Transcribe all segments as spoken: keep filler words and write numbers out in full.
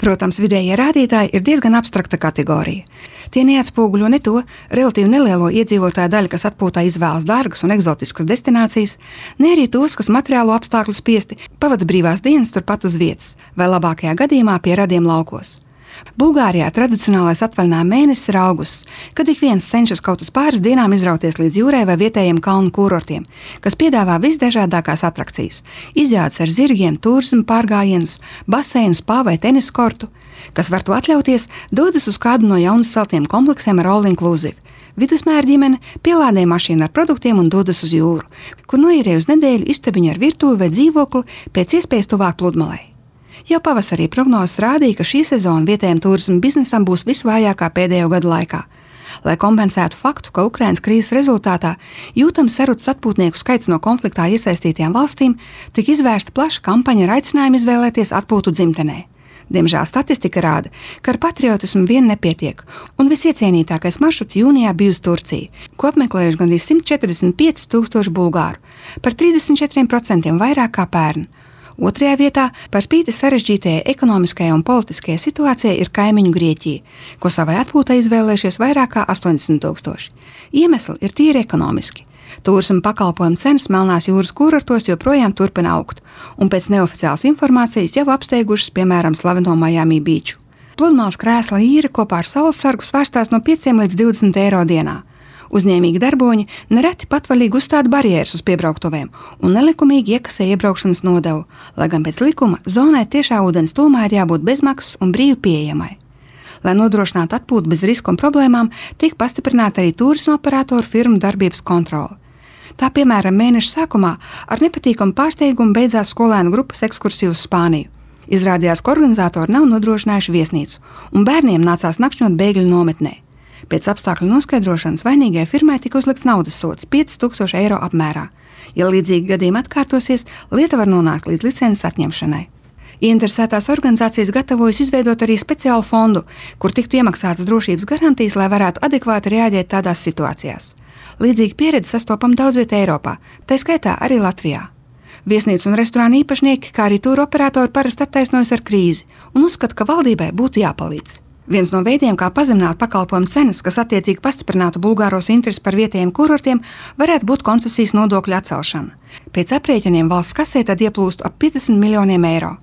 Protams, vidējie rādītāji ir diezgan abstrakta kategorija. Tie neatspoguļo ne to relatīvi nelielo iedzīvotāju daļu, kas atpūtā izvēlas dārgas un eksotiskas destinācijas, ne arī tos, kas materiālo apstākļu spiesti pavada brīvās dienas turpat uz vietas, vai labākajā gadījumā pie radiem laukos. Bulgārijā tradicionālais atvaļinājuma mēnesis ir augusts, kad ik viens cenšas kaut uz pāris dienām izrauties līdz jūrai vai vietējiem kalnu kurortiem, kas piedāvā visdažādākās atrakcijas – izjādes ar zirgiem, turismu pārgājienus, baseinu, spā vai tenisu kortu. Kas var to atļauties, dodas uz kādu no jaunas celtiem kompleksiem ar all inclusive. Vidusmēra ģimene pielādē mašīnu ar produktiem un dodas uz jūru, kur noīrē uz nedēļu istabiņu ar virtuvi vai dzīvokli pēc iespējas tuvāk pludmalei. Jau pavasarī prognozes rādīja, ka šī sezona vietējiem turisma biznesam būs visvājākā pēdējo gadu laikā. Lai kompensētu faktu, ka Ukrainas krīzes rezultātā jūtams sarucis atpūtnieku skaits no konfliktā iesaistītajām valstīm, tika izvērsta plaša kampaņa ar aicinājumu izvēlēties atpūtu dzimtenē. Diemžēl statistika rāda, ka ar patriotismu vien nepietiek, un visiecienītākais maršruts jūnijā bija uz Turciju, ko apmeklējuši gandrīz simt četrdesmit pieci tūkstoši bulgāru, par trīsdesmit četriem procentiem vairāk kā pērn. Otrajā vietā par spīti sarežģītajai ekonomiskajai un politiskajai situācijai ir kaimiņu Grieķija, ko savai atpūtai izvēlējušies vairāk kā astoņdesmit tūkstoši. Iemesli ir tīri ekonomiski. Turisma pakalpojumu cenas Melnās jūras kurortos joprojām turpina augt, un pēc neoficiālas informācijas jau apsteigušas, piemēram, slaveno Miami Beach. Pludmales krēsla īre kopā ar saules sargu svērstās no pieciem līdz divdesmit eiro dienā. Uzņēmīgi darboņi nereti patvaļīgi uzstāda barjeras uz piebrauktuvēm un nelikumīgi iekasē iebraukšanas nodevu, lai gan pēc likuma zonai tiešā ūdens tūmā ir jābūt bezmaksas un brīvi pieejamai. Lai nodrošinātu atpūtu bez risku un problēmām, tiek pastiprināta arī turisma operatoru firmu darbības kontrole. Tā, piemēram, mēneša sākumā ar nepatīkamu pārsteigumu beidzās skolēnu grupas ekskursija uz Spāniju. Izrādījās, ka organizatori nav nodrošinājuši viesnīcu, un bērniem nācās nakšņot bēgļu nometnē. Pēc apstākļu noskaidrošanas vainīgajai firmai tika uzlikts naudas sods pieci tūkstoši eiro apmērā. Ja līdzīgi gadījumi atkārtosies, lieta var nonākt līdz licences atņemšanai. Ieinteresētās organizācijas gatavojas izveidot arī speciālu fondu, kur tiktu iemaksātas drošības garantijas, lai varētu adekvāti reaģēt tādās situācijās. Līdzīga pieredze sastopama daudz vietā Eiropā, tā skaitā arī Latvijā. Viesnīcu un restorānu īpašnieki, kā arī tūru operatori parasti attaisnojas ar krīzi un uzskata, ka valdībai būtu jāpalīdz. Viens no veidiem, kā pazemināt pakalpojumu cenas, kas attiecīgi pastiprinātu bulgāros interesi par vietējiem kurortiem, varētu būt koncesijas nodokļu atcelšana. Pēc aprēķiniem valsts kasē tad ieplūstu ap piecdesmit miljoniem eiro.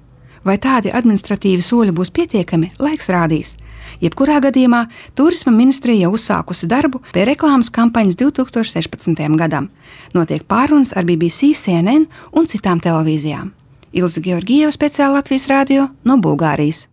Vai tādi administratīvi soļi būs pietiekami, laiks rādīs. Jebkurā gadījumā Turisma ministrija jau uzsākusi darbu pie reklāmas kampaņas divi tūkstoši sešpadsmitajam gadam. Notiek pārunas ar B B C, C N N un citām televīzijām. Ilze Georgieva, speciāli Latvijas radio no Bulgārijas.